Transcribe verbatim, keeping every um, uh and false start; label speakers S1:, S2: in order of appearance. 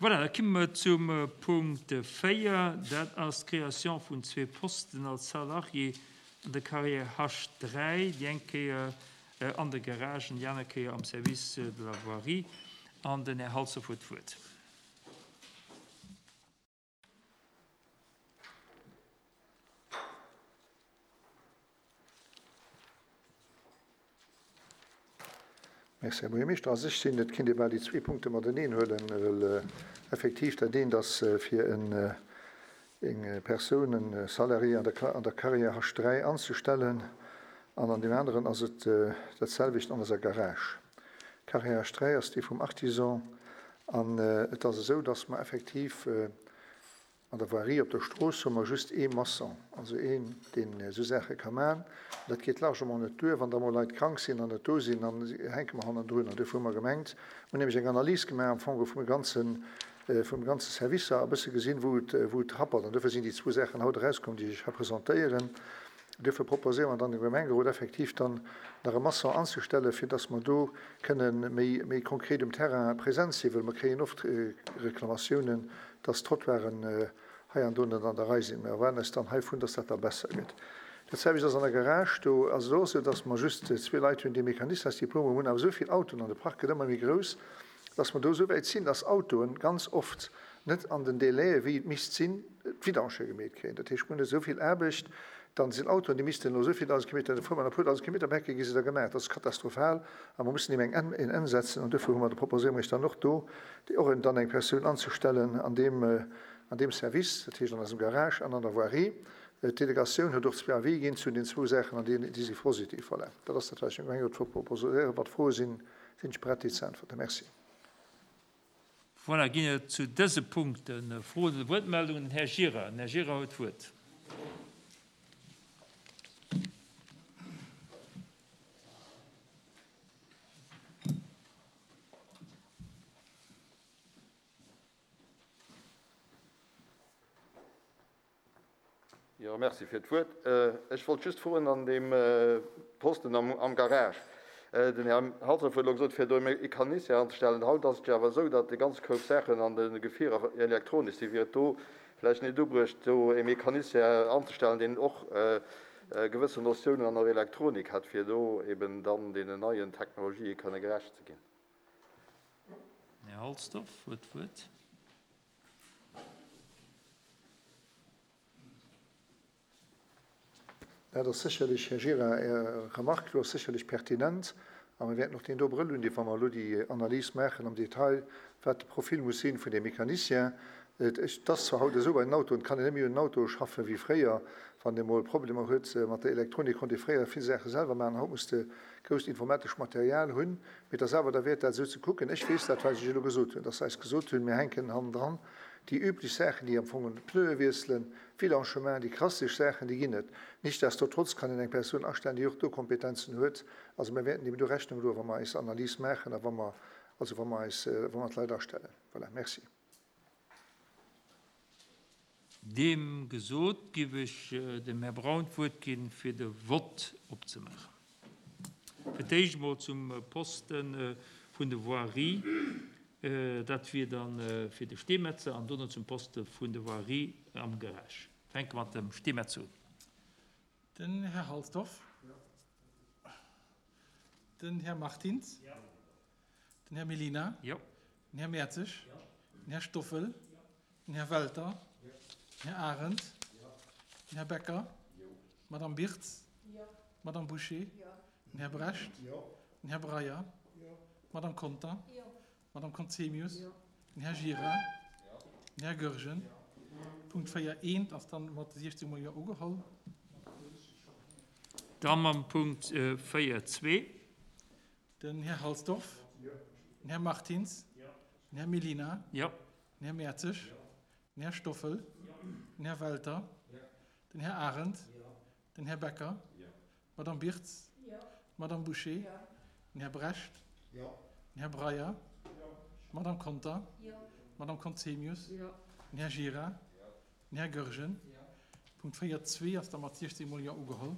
S1: Voilà, da komme mer zum Punkt véier. Dat ass d'Création vun zwee Posten als Salarié an der Carrière H dräi, déi eng Kéier an de Garagen, déi aner Kéier am Service de la Voirie. An den Här Halsdorf huet d'Wuert.
S2: Merci, Här Buergermeeschter. A sech sinn, et kéint ee bal déi zwee Punkte mateneen huelen, well effektiv dat eent ass fir eng Persoun, e Salarié an der, an der Carrière H dräi anzestellen, an an deem aneren ass et dat selwecht an eiser Garage. Carrière H dräi ass déi vum Artisan, an et ass esou, dass mer effektiv an der Voirie op der Strooss hu mer just ee Maçon, also een, deen esou Saache ka maachen. Dat geet largement net duer. Wann da mol Leit krank sinn an net do sinn, dann hänke mer hannendrun. An duerfir hu mer gemengt, mir hunn nämlech eng Analys gemaach am Fong vum ganzen, vum ganze Servicer a bësse gesinn, wou et, wou et happert. An duerfir sinn déi zwou Saachen haut erauskomm, déi ech hei presentéieren. Duerfir proposéiere mer dann dem Gemengerot effektiv dann nach e Maçon anzestellen, fir dass mer do kënnen méi, méi konkret um Terrain präsent sinn, well mer kréien oft Reklamatiounen, dass d'Trottoiren hei an do net an der Rei sinn. Mir erwaarden eis dann heivun, dass dat da besser gëtt. Dat selwecht ass an der Garage. Do ass et och esou, dass mer just zwee Leit hunn, déi Mecanistasdiplome hunn, awer esou vill Autoen an de Park gëtt ëmmer méi grouss, dass mer do esou wäit sinn, dass Autoen ganz oft net an den Délaië wéi et misst sinn, d'Vidange gemeet kréien. Dat heescht, mir hunn esou vill Aarbecht, dann sinn Autoen, déi missten elo esou vill dausend Kilometer, da fuere mer e puer dausend Kilometer, Becke gi se da gemaach. Dat ass katastrophal a mer mussen deem eng Enn, en Enn setzen. An duerfir hu mer, proposéiere mer iech dann och do, déi och dann eng Persoun anzestellen an deem, an deem Service, dat heescht an eisem Garage an an der Voirie. D'Delegatioun huet och zwee Avis ginn zu den zwou Saachen an déi, déi si positiv. Voilà. Dat ass dat, wat ech dem Gemengerot proposéieren. Wat Froe sinn, sinn ech bereit, déi ze äntwerten. Merci.
S1: Voilà, ginn et zu dëse Punkten Froen oder Wuertmeldungen? Den Här Gira. Den Här Gira huet d'Wuert.
S3: Jo, merci fir d'Wuert. Ech wollt just froen an deem Posten am, am Garage. Den Här Halsdorf huet elo gesot, fir do e Mecanicien anzestellen. Haut ass et jo awer esou, datt déi ganz Koup Saachen an de Gefierer elektronesch sinn. Wier et do vläicht net ubruecht, do e Mecanicien anzestellen, deen och gewëssen Notiounen an der Elektronik hätt, fir do eben dann deenen neien Technologië kënne gerecht ze ginn?
S1: Här Halsdorf huet d'Wuert.
S2: Dat ass sécherlech, Här Gira, Är Remarque do ass sécherlech pertinent. A mir wäerten och deen do Brëll hunn, wa mer elo déi Analys maachen am Detail, wat de Profil muss sinn vun dem Mecanicien. Et ass zwar haut esou bei den Autoen, et kann een net méi un den Auto schaffen wéi fréier. Wann ee mol Problemer huet mat der Elektronik, konnt ee fréier vill Saache selwer maachen. Haut muss de grousst informatescht Material hunn. Mee et ass awer derwäert, dat esou ze kucken. Ech weess dat, wat ech elo gesot hunn, dass se eis gesot hunn, mir hänken hannendran déi üblech Saachen, déi am Fong d'Pneue wiesselen, Vidange, déi klassesch Saachen, déi ginn net. Nichtsdestotrotz kann een eng Persoun astellen, déi och do Kompetenzen huet. Also mir wäerten deem do Rechnung droen, wa mer eis Analys maachen a wa mer, also wa mer eis, wa mer d'Leit astellen. Voilà, merci.
S1: Deem gesot, giff ech dem Här Braun d'Wuert ginn, fir de Vott opzemaachen. Fir d'éischt emol zum Posten vun de Voirie, dat wier dann fir de Steemetzer, an dono zum Poste vun de Voirie am Garage. Fänke mat dem Steemetzer un.
S4: Den Här Halsdorf. Den Här Martins. Den Här Mellina. Den Här Mertzig. Den Här Stoffel. Den Här Welter. Den Här Arendt. Den Här Becker. D'Madame Birtz. D'Madame Bouché. Den Här Brecht. Den Här Breyer. D'Madame Conter. D'Madame Conzemius. Den Här Gira. Den Här Goergen. Punkt véier eent ass dann mat siechzéng Mol Jo ugeholl.
S1: Da mam Punkt véier zwee.
S4: Den Här Halsdorf. Den Här Martins. Den Här Mellina. Den Här Mertzig. Den Här Stoffel. Den Här Welter. Den Här Arendt. Den Här Becker. D'Madame Birtz. D'Madame Bouché. Den Här Brecht. Den Här Breyer. D'Madame Conter. D'Madame Conzemius. Den Här Gira. Den Här Goergen. Punkt véier zwee ass da mat siechzéng Mol Jo ugeholl.